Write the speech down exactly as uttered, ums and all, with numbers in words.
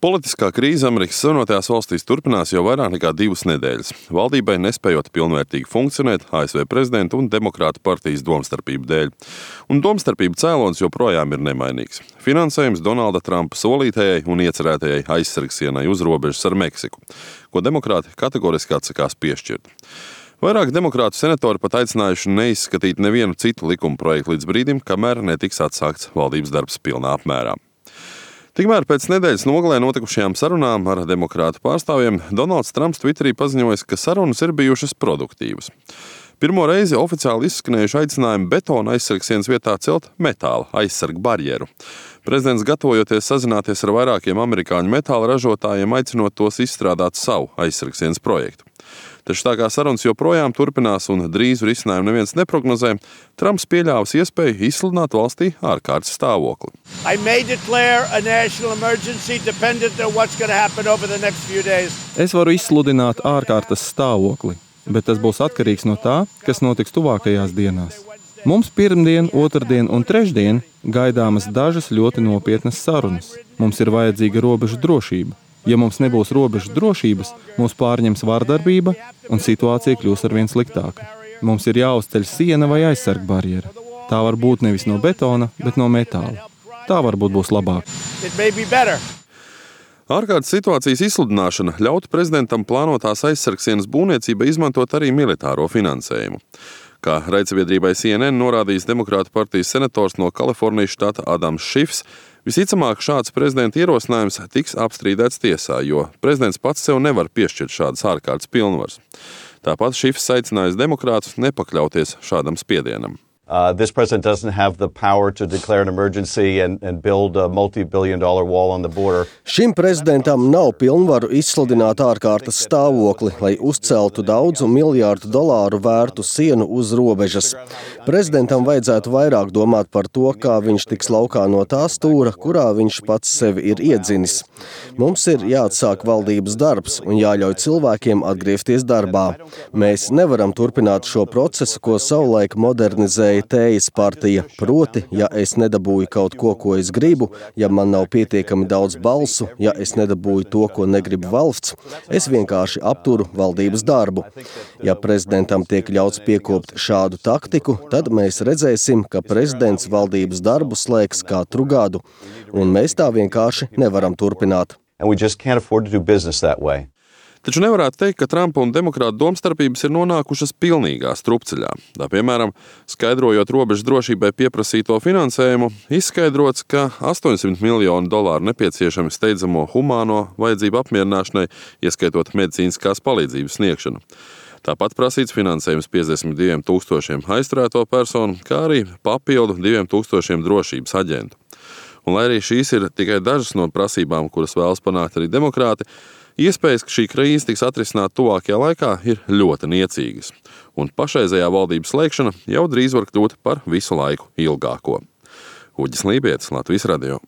Politiskā krīze Amerikas Savienotajās valstīs turpinās jau vairāk nekā divas nedēļas. Valdībai nespējot pilnvērtīgi funkcionēt A S V prezidenta un Demokrātu partijas domstarpību dēļ. Un domstarpību cēlonis joprojām ir nemainīgs. Finansējums Donalda Trumpa solītajai un iecerētajai aizsargsienai uz robežas ar Meksiku, ko demokrāti kategoriski atsakās piešķirt. Vairāk demokrātu senatori pat aicinājuši neizskatīt nevienu citu likuma projektu līdz brīdim, kamēr netiks atsākts valdības darbs pilnā apmērā. Tikmēr pēc nedēļas nogalē notikušajām sarunām ar demokrātu pārstāvjiem Donalds Trumps Twitterī paziņojis, ka sarunas ir bijušas produktīvas. Pirmo reizi oficiāli izskanējuši aicinājumi betona aizsargsienas vietā celt metāla aizsargu barjeru. Prezidents, gatavojoties sazināties ar vairākiem amerikāņu metāla ražotājiem, aicinot tos izstrādāt savu aizsargsienas projektu. Taču tā kā sarunas joprojām turpinās un drīz risinājumu neviens neprognozē, Trumps pieļāvis iespēju izsludināt valstī ārkārtas stāvokli. Es varu izsludināt ārkārtas stāvokli, bet tas būs atkarīgs no tā, kas notiks tuvākajās dienās. Mums pirmdien, otrdien un trešdien gaidāmas dažas ļoti nopietnas sarunas. Mums ir vajadzīga robežu drošība. Ja mums nebūs robežu drošības, mūs pārņems vardarbība un situācija kļūs arvien sliktāka. Mums ir jāuzceļ siena vai aizsarg barjera. Tā var būt nevis no betona, bet no metāla. Tā varbūt būs labāk. Ārkārtas situācijas izsludināšana ļautu prezidentam plānotās aizsargsienas būvniecībai izmantot arī militāro finansējumu. Kā raidsabiedrībai C N N norādījis Demokrātu partijas senators no Kalifornijas štata Adams Šifs, visticamāk šāds prezidenta ierosinājums tiks apstrīdēts tiesā, jo prezidents pats sev nevar piešķirt šādas ārkārtas pilnvaras. Tāpat Šifs aicinājis demokrātus nepakļauties šādam spiedienam. Uh, this president doesn't have the power to declare an emergency and, and build a multi-billion dollar wall on the border. Šim prezidentam nav pilnvaru izsludināt ārkārtas stāvokli, lai uzceltu daudzu miljārdu dolāru vērtu sienu uz robežas. Prezidentam vajadzētu vairāk domāt par to, kā viņš tiks laukā no tā stūra, kurā viņš pats sevi ir iedzinis. Mums ir jāatsāk valdības darbs un jāļauj cilvēkiem atgriezties darbā. Mēs nevaram turpināt šo procesu, ko savulaik modernizēja Tējas partija, proti, ja es nedabūju kaut ko, ko es gribu, ja man nav pietiekami daudz balsu, ja es nedabūju to, ko negrib valsts, es vienkārši apturu valdības darbu. Ja prezidentam tiek ļauts piekopt šādu taktiku, tad mēs redzēsim, ka prezidents valdības darbu slēgs katru gadu, un mēs tā vienkārši nevaram turpināt. And we just can't afford to do business that way. Taču nevarētu teikt, ka Trumpa un demokrātu domstarpības ir nonākušas pilnīgā strupceļā. Tā, piemēram, skaidrojot robežu drošībai pieprasīto finansējumu, izskaidrots, ka astoņsimt miljonu dolāru nepieciešami steidzamo humāno vajadzību apmierināšanai, ieskaitot medicīniskās palīdzības sniegšanu. Tāpat prasīts finansējums piecdesmit diviem tūkstošiem aizturēto personu, kā arī papildu diviem tūkstošiem drošības aģentu. Un lai arī šīs ir tikai dažas no prasībām, kuras vēlas panākt arī demokrāti, iespējas, ka šī krīze tiks atrisināta tuvākajā laikā, ir ļoti niecīgas, un pašreizējā valdības slēgšana jau drīz var kļūt par visu laiku ilgāko. Uģis Lībietis, Latvijas radio.